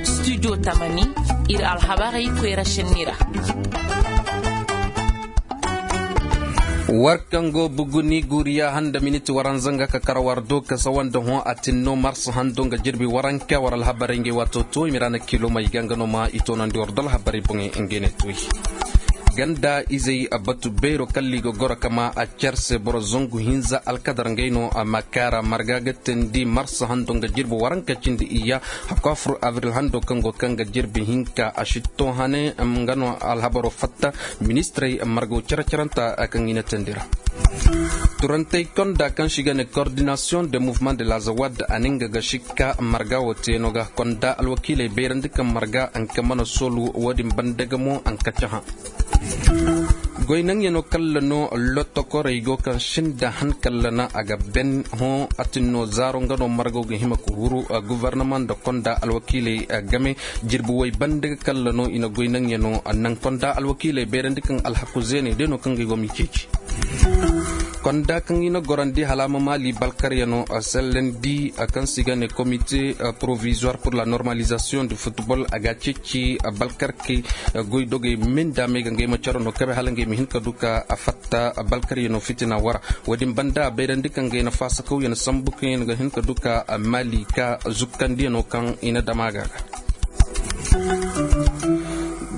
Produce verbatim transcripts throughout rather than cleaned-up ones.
Studio tamani, ir alhabarey koyra šenni ra. War kaŋ go buguni guuriya handa miniti waranza nga ka kar war do ka sawa nda hõ a tinno marsa hando nga jirbi waranka war alhabarey ngey waato to i ma ra na kilo may ga nga no ma i toonandi war do alhabarey boŋey ngey ne toy. Ganda izey batu beero kalli ga goro kama a cer se boro zangu hinza alkadar ngey no a ma kaara marga ga teendi marsa hando nga jirbi waranka cindi iyya. Hakko a fur abril hando kaŋ go kaŋ ga jirbi hinka a sitto hane nga no alhabaro fatta. Ministirey margo cere-cerenta kaŋ i na teendi ra. Turantey konda kaŋ se i ga ne coordination de mouvement de la zawad a na nga ga sikka marga wo teeno ga konda alwakiiley bayrandi kaŋ marga anka mana soolu wo- din banda ga mo anka cahã. Goy naŋyanoo kalla no lottokorey go kaŋ sinda han kalla na a ga ben hõ a tin no zaaro nga no margo ga hima ka huru gobornama nda konda alwakiiley game. Jirbi woy banda ga kalla no i na goy naŋyanoo naŋ konda alwakiiley bayrandi kaŋ alhaku zeeney day no kaŋ ga i go m'i ceeci. Konda kaŋ i na gorandi hala a ma maali balkaryanoo sellandi kaŋ se i ga ne komite provisoire pour la normalisation du football a ga a ceeci balkarkey goydogey me nda me ga ngey ma caro no kabe hala ngey ma hin ka du ka fatta balkaryanoo fitina wara. Wo- din banda a bayrandi kaŋ ngey na faasakawyaŋ sambu kaŋ yaŋ ga hin ka du ka maali ka zukkandiyanoo kaŋ i na dam a ga ga.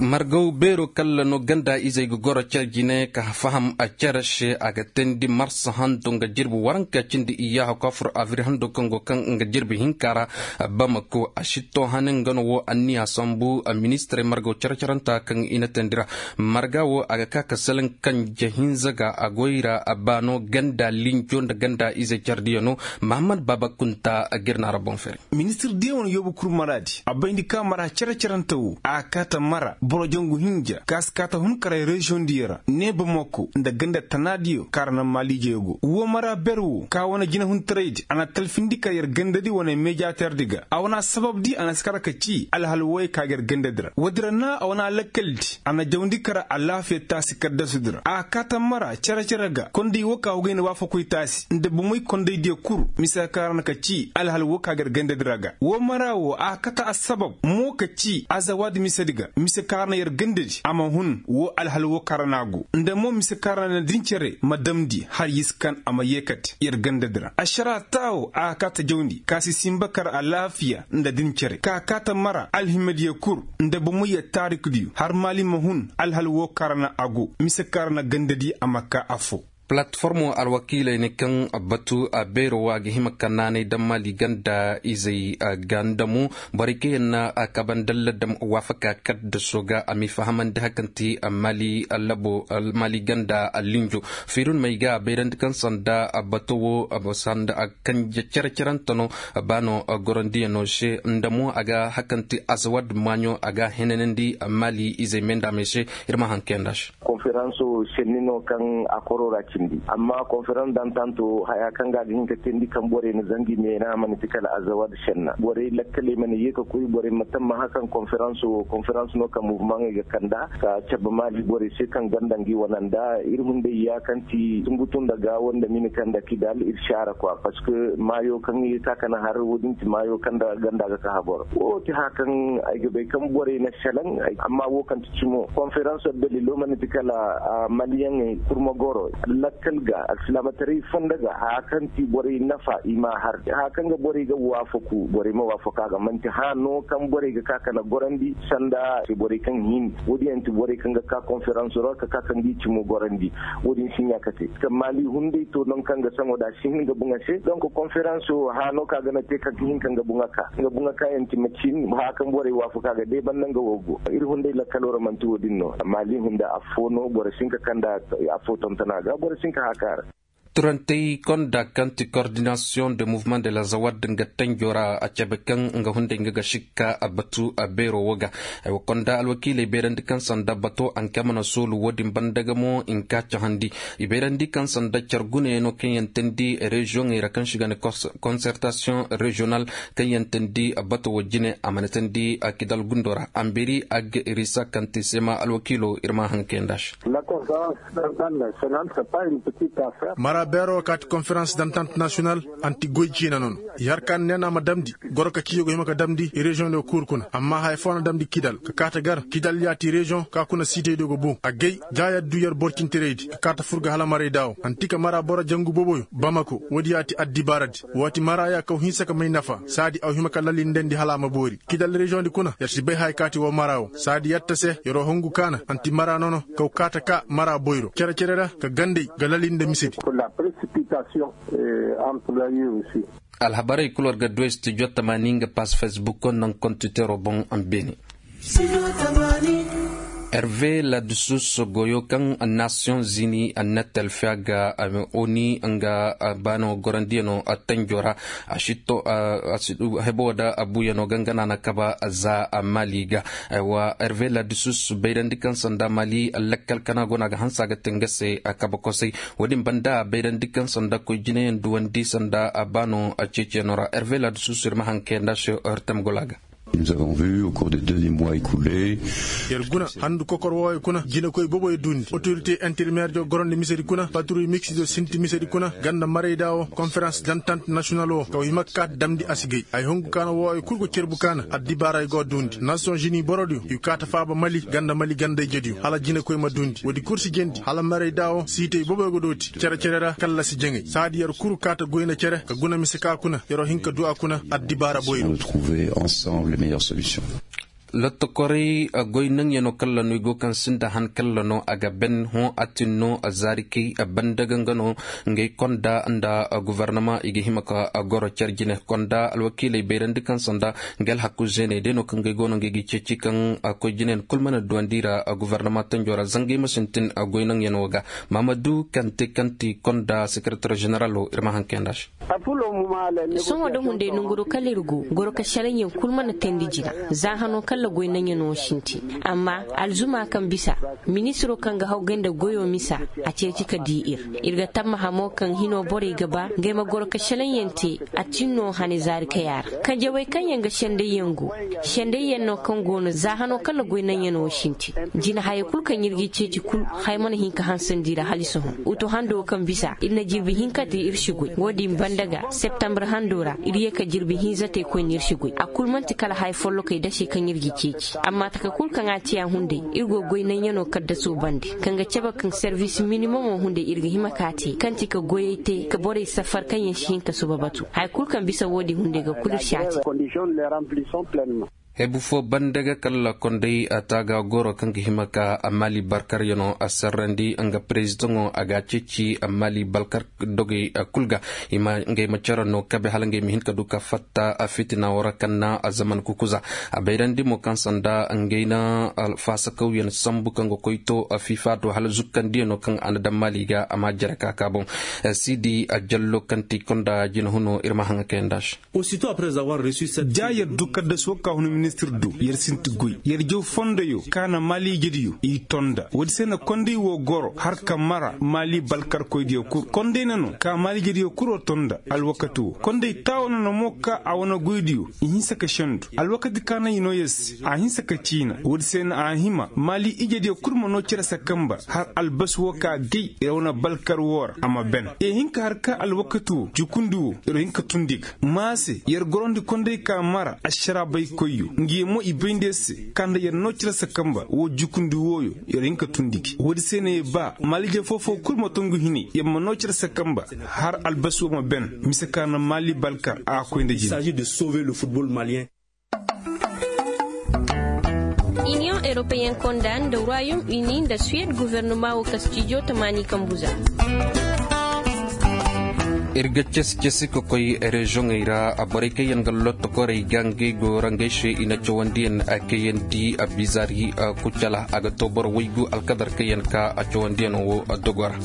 Margaw beero kalla no ganda izey ga goro care jine ka faham a care se a ga teendi marsa hando nga jirbi waranka cindi iyyaha kofur abri hando kaŋ go kaŋ nga jirbi hinka ra. Bamako a sitto hane nga no wo anniya sambu ministirey margaw care-caranta kaŋ i na teendi ra. Marga wo a ga ka ka salaŋ kanje hinza ga a goy ra a baano ganda linjo nda ganda izey care diyano. Mahammad baba kunta a ga ir na ra boŋ fere. Ministir diyaŋ wane yoobu kul maraadi a bayndi ka mara cere-cerante wo a kaata mara boro jangu hinja ka si kaata hunkaray reziyoŋ diyaŋ ra ne bamako nda ganda tanaadiyo kaŋ ra naŋ maaliijey go wo mara ber wo ka wane jinahuntaraydi a na talfindi kar yer gandadi wane mejaterdi ga a wane asababdi a na si kar ka ci alhal woy ka ga yer gandadi ra woodi ra na a wane alakkaldi a na jawndi kar alaafiya taasi kaddasudi ra a kaata mara cere-cere ga konday wo ka wogay na waafakoy taasi nda bomey kondaydiyo kul mise ka kaŋ ra na ka ci alhal wo ka ga yer gandadi ra ga wo mara wo a kate assabab mo ka ci azawaadi misedi ga mise kaŋ ra na yer gandadi a ma hun wo alhal wo kaŋ ra no a go nda mo mise kaŋ ra na din cere ma damndi har y'i si kan a ma yeekate yer gandadi ra ašara taawo a kate jawndi ka si sinba kar alaafiya nda din cere ka kaate mara alhimadiyo kul nda bomey yer taarikdiyo har maali ma hun alhal wo kaŋ ra no a go mise kaŋ ra na gandadi a ma ka affoo. Palatformo alwakiiley ne kaŋ batu a beero wo a ga hima ka naanay daŋ maali ganda izey ganda mo borey kaŋ yaŋ na a kabe nda ladam waafaka kaddaso ga a m'i fahamandi hari kaŋ ti maali labo maali ganda linjo fiirun may ga a bayrandi kaŋ sanda bato wo sanda kanje cere-cerante no ba no gorandiyaŋo se nda mo a ga hari kaŋ ti azawad maaɲo a ga a henanandi maali izey me nda a may se ir ma haŋ kayandi a se. Konferanso senni no kaŋ a koro ra cindi amma konferans dantanto haya kaŋ ga a ga hin ka teendi kaŋ borey na zangi meena a mana ti kala azawad senna borey lakkaley mana ye ka koy borey ma tammaha kaŋ konferanso wo konferans no kaŋ muvumaŋey ga kanda ka cabe maali borey se kaŋ ganda ngi wane nda ir hunday ya kaŋ ti tungu tunda gaawo nda mini kaŋ nda kidal ir si a ra kwa parceque maayo kaŋ ye ka kana har wo- din ti maayo kaŋ nda ganda ga ka habor wo ti haya kaŋ ay ga bay kaŋ borey na selaŋ amma wo kaŋ ti cimo konferanso dalilo mana ti kala maliyaŋey kurma goro lakkal ga alsilaamataray fonda ga haya kaŋ ti borey nafa i m'a har haya kaŋ ga borey ga waafaku borey ma waafaku a ga man'ti haya no kaŋ borey ga ka kana gorandi sanda borey kaŋ hin wo- din yaŋ ti borey kaŋ ga ka konferanso ra ka ka kaŋ ga i cimo gorandi wo- din si ɲaa ka te ka maali hunday to nangu kaŋ ga saŋo da a si hin ga buŋ a se donk konferanso haya no kaŋ a ga na te kaŋ ga hin ka nga buŋ a ka nga buŋ a ka yaŋ ti macin haya kaŋ borey waafaku a ga day banda nga wo go ir hunday lakkalo ra man'ti wo- din no maali hunda affoo no boro si hin ka kanda affoo tonton a ga boro si hin ka haka a ra. Turantey konda kaŋ ti kordinasiyoŋ de muvement de la zawad nga tanjo ra a cabe kaŋ nga hunday nga ga sikka batu beero wo ga. Konda alwakiiley bayrandi kaŋ sanda bato anka mana soolu wo- din banda ga mo i nka cahandi i bayrandi kaŋ sanda care gunayaŋo kaŋ yaŋ teendi reziyoŋey ra kaŋ se i ga ne konsertasiyoŋ reziyonal kaŋ yaŋ teendi bato wo jine a mana teendi kidal gundo ra amberi ag irisa kaŋ ti seema alwakiilo ir ma haŋ kayandi a se. Beeroo kaati konferans dantant nasiyonal anti goy ciina nono. Yer kaŋ neena ma damndi goro ka ciiyo go hima ka damndi reziyoŋ diyo kul kuna amma haya foo na damndi kidal ka kaati gar kidal ya ti reziyoŋ ka kuna siitey diyo go boŋ a gay. Jaayat du yer boro cintiraydi ka kaati fur ga hala maray daawo anti ka mara boro jangu boboyo bamako woodi ya ti addibaaradi. Waati mara ya kaw hinsa ka may nafa saadi aw hima ka lalindandi hala a ma boori kidal reziyoŋ di kuna yer si bay haya kaati woo mara woo saadi yer ta se yeroo hungu kaana anti mara nono kaw kaata ka mara boyro cere-cere ra ka gandey ga lalinde misedi. Alhabarey kul war ga duwey studio tamaani nga pass facebook naŋ kontiteroo boŋ. Beene herve ladusus goyo kaŋ nations unis a nettel fiya ga oni nga baano gorandiyanoo tanjoo ra. A si to hebo da abuyanoo gangana na kaba za mali ga. Wa herve ladusus bayrandi kaŋ sanda mali lakkal kana go no a ga hanse a ga te nga se kaba kosay. Wo-din banda bayrandi kaŋ sanda koy jinayaŋ duwandi sanda baano ceeciyaŋo ra herve ladusus ir ma haŋ kayanda se hertem gola ga. Yer guna handu kokor wooyo kuna jinakoy boboyo duundi otorite intermeer diyo gorondi misedi kuna patruy miksido sinti misedi kuna ganda marayda wo konferans dantant nasiyonal wo ka wa hima ka kaati damndi a si gay ay hungu kaana wooyo kul go cerbu kaana addibaara ay go a duundi nations unis borodiyo i kaata faaba mali ganda mali ganda ijediyo hala jinakoy ma duundi woodi kul si jendi hala marayda wo siitey boboyo go dooti cere-cere ra kalla si jaŋay saadi yer kul kaata goyna cere ka guna mise ka kuna yeroo hin ka du a kuna addibaara boyri. Lottokorey goy naŋyanoo kalla no i go kaŋ sinda han kalla no a ga ben hõ a tin no zaarikey banda ga nga no. Ngey konda nda gofornama i ga hima ka goro car jine konda alwakiiley bayrandi kaŋ sanda nga alhaku zeeney day no kaŋ gay go no ngey ga ceeci kaŋ koy jine yaŋ kul mana duwandi ra gofornama tanjo ra zangey ma sintin goy naŋyanoo ga. Maamadu kante kanti konda sekeretar ženeralo ir ma haŋ kayanda se. Sohõ da hunday nanguroo kala ir go goro ka šelaŋyaŋ kul mana teendi jina za hanoo kala goy naŋyanoo sintin. Amma alzuma kaŋ bisa ministiroo kaŋ ga hawgay nda goyoo misa a ceeci ka dii ir. Ir ga tammaha mo kaŋ hinoo borey ga ba ngey ma goro ka šelaŋyaŋ te. A tin no hane zaari kay a ra kanjawey kaŋyaŋ ga sendayyaŋ go. Sendayyaŋ no kaŋ go no za hanoo kala goy naŋyanoo sintin. Jina hayey kul kaŋ ir g'i ceeci kul haya mana hin ka hansandi ra hala i sohõ. Uto hando kaŋ bisa ir na jirbi hinka te ir si goy wo-din banda ga septembre hando ra ir ye ka jirbi hinza te koyne ir si goy a kul man'ti kala haya follokey dase kaŋ ir g'i ceeci amma taka kul kaŋ a te a hunday ir go goy naŋyanoo kaddasoo bande kaŋ ga cabe kaŋ servis minimomoo hunday ir ga hima ka a te kaŋ ti ka goyey te ka borey safar kaŋyaŋ si hin ka suba batu haya kul kaŋ bisa wo-din hunday ga kul ir si a te. Hebu fo banda ga kalla konday a taaga goro kaŋ ga hima ka maali barkaryanoo a sarrandi nga perezidaŋo a ga a ceeci maali barkar dogey kul ga. Ngey ma care no kabe hala ngey ma hin ka du ka fatta fitina woo ra kaŋ na a zaman kukuza a bayrandi mo kaŋ sanda ngey na faasakawyaŋ sambu kaŋ ga koy to fifa do hala zukkandiyanoo kaŋ a na daŋ maali ga a ma a jere ka ka boŋ. Siidi a jallo kaŋ ti konda jinahunoo ir ma haŋa kayanda se. Ja yer du kaddaso ka hun ministir du yer sinti goy yer jaw fondoyo ka na maali ijediyo i tonda woodi se na konday woo goro har ka mara maali balkarkoydiyo kul konday na no ka maali ijediyo kul woo tonda alwakati woo konday taawo na no mo ka a wane goydiyo i hinsa ka sendu alwakati ka na i noo yer se a hinsa ka ciina woodi se na a hima maali ijediyo kul ma noo cere se kamba har albasi woo ka gay yer wane balkar woo ra a ma ben i hin ka har ka alwakati woo jukundi woo yer hin ka tundi ga maa se yer gorandi konday ka mara ašaraabaykoyyo ngi yee mo i bayndi yer se ka nda yer noo cere se kamba woo jukundi wooyo yer hin ka tundi gi woodi se na yer ba maaliije foo-foo kul ma tongu hinay yer ma noo cere se kamba har albasi woo ma ben mise ka na maali balkar a ga koy nda jine. Iniyoŋ eropeyen konda nda ruwayom ini nda suwed gofornoma woo ka stijo tamaani kambuza. Ir ga casi-casi ka koy reziyoŋey ra borey kaŋ yaŋ ga lottokorey ga ngey go ra ngey se i na cawandiyaŋ kayandi bizaari kucala a ga too boro waygu alkadar kaŋ yaŋ ka cawandiyaŋo woo dogo ra.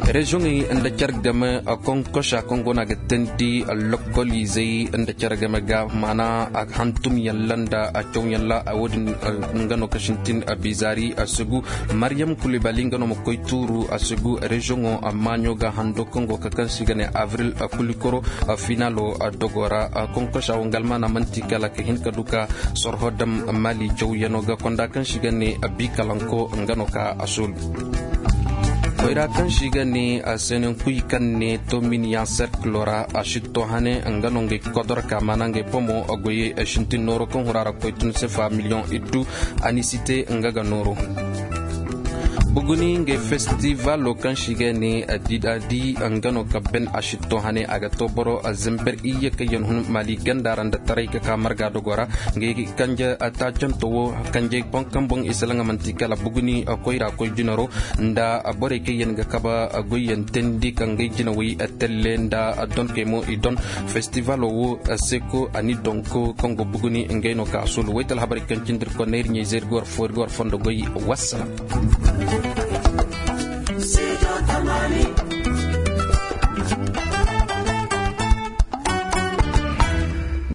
Reziyoŋey nda care game konkosa kaŋ go no a ga teendi lokoliizey nda care game ga maana hantumyaŋ ra nda cawyaŋ ra woodin nga no ka sintin bizaari a sugu. Mariyam kulibali nga no ma koy tuuru a sugu reziyoŋo maaɲo ga hando kaŋ go ka kaŋ se i ga ne avril kulikoro finalo dogo ra. Konkosa wo nga almaana man'ti kala ka hin ka du ka sorho daŋ maali cawyaŋo ga konda kaŋ se i ga ne bikalanko nga no ka a soolu. Koyra kaŋ si ga ne a seenankuy kaŋ ne tominiyaŋ serkilo ra a si to hane nga no ngey kodor ka maana ngey pomo a goyey a sintin nooro kaŋ hura ra koy tun sefa miliyoŋ iddu. Anisite nga ga nooro buguni ngey festivalo kaŋ si ga ne a di da di nga no ka ben a si to hane a ga to boro zember iyye kaŋ yaŋ hun mali ganda ra nda taray ka ka marga dogo ra. Ngey kanje taacanto wo kanjey boŋ kaŋ boŋ i salaŋ a manti kala buguni koyra koy jinaro nda borey kaŋ yaŋ ga kaba goyyaŋ teendi kaŋ ngey jinawey telle nda donkey mo i don. Festivalo wo seko a ni donko kaŋ go buguni ngey no ka sulu waytal habarey kaŋ cindi ir konney ir ɲey zey ir ga war fo ir ga war fondo goy. Wassalam.